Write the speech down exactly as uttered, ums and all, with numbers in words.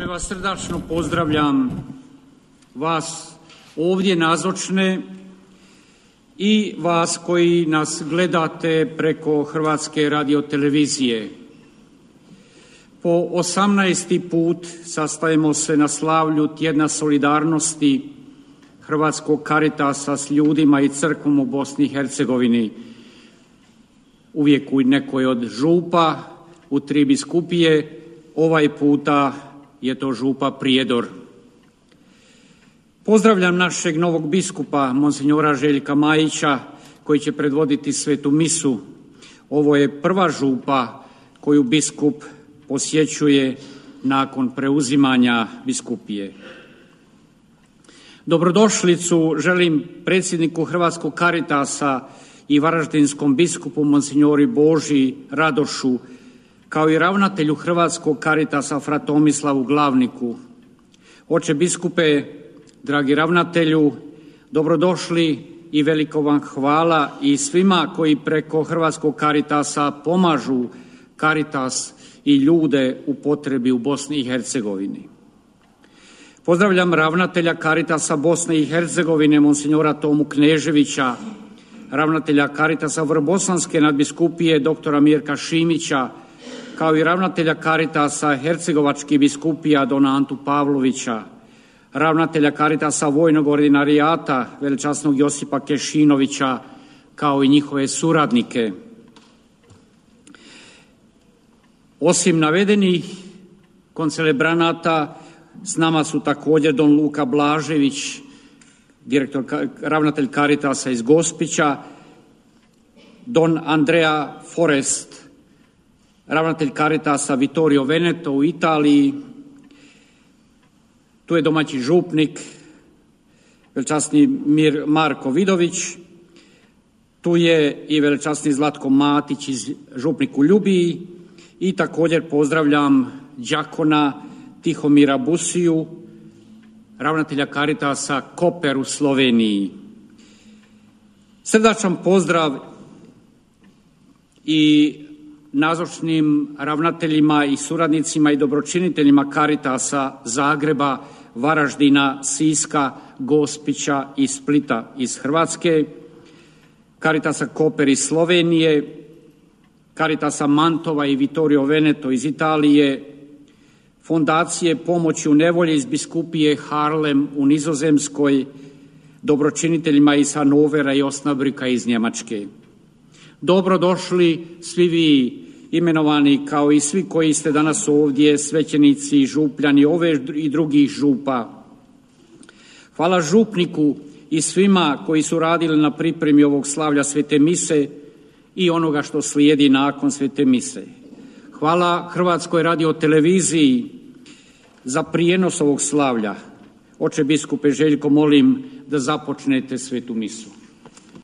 Sve vas srdačno pozdravljam, vas ovdje nazočne i vas koji nas gledate preko Hrvatske radiotelevizije. Po osamnaesti put sastajemo se na slavlju Tjedna solidarnosti Hrvatskog Caritasa s ljudima i crkvom u Bosni i Hercegovini. Uvijek u nekoj od župa, u tri biskupije, ovaj puta je to župa Prijedor. Pozdravljam našeg novog biskupa, monsinjora Željka Majića, koji će predvoditi svetu misu. Ovo je prva župa koju biskup posjećuje nakon preuzimanja biskupije. Dobrodošlicu želim predsjedniku Hrvatskog Caritasa i varaždinskom biskupu monsinjori Boži Radošu, kao i ravnatelju Hrvatskog Caritasa fra Tomislavu Glavniku. Oče biskupe, dragi ravnatelju, dobrodošli i veliko vam hvala i svima koji preko Hrvatskog Caritasa pomažu Caritas i ljude u potrebi u Bosni i Hercegovini. Pozdravljam ravnatelja Caritasa Bosne i Hercegovine, monsinjora Tomu Kneževića, ravnatelja Caritasa Vrbosanske nadbiskupije, doktora Mirka Šimića, kao i ravnatelja Caritasa Hercegovačkih biskupija, dona Antu Pavlovića, ravnatelja Caritasa Vojnog ordinarijata, velečasnog Josipa Kešinovića, kao i njihove suradnike. Osim navedenih koncelebranata, s nama su također don Luka Blažević, direktor, ravnatelj Caritasa iz Gospića, don Andrea Forest, ravnatelj Caritasa Vittorio Veneto u Italiji. Tu je domaći župnik, velečasni Mir Marko Vidović. Tu je i velečasni Zlatko Matić iz župnik u Ljubiji. I također pozdravljam đakona Tihomira Busiju, ravnatelja Caritasa Koper u Sloveniji. Srdačan pozdrav i nazočnim ravnateljima i suradnicima i dobročiniteljima Caritasa Zagreba, Varaždina, Siska, Gospića i Splita iz Hrvatske, Caritasa Koper iz Slovenije, Caritasa Mantova i Vittorio Veneto iz Italije, Fondacije pomoći u nevolji iz biskupije Harlem u Nizozemskoj, dobročiniteljima iz Hanovera i Osnabrika iz Njemačke. Dobrodošli svi vi imenovani, kao i svi koji ste danas ovdje, svećenici, župljani ove i drugih župa. Hvala župniku i svima koji su radili na pripremi ovog slavlja svete mise i onoga što slijedi nakon svete mise. Hvala Hrvatskoj radioteleviziji za prijenos ovog slavlja. Oče biskupe Željko, molim da započnete svetu misu.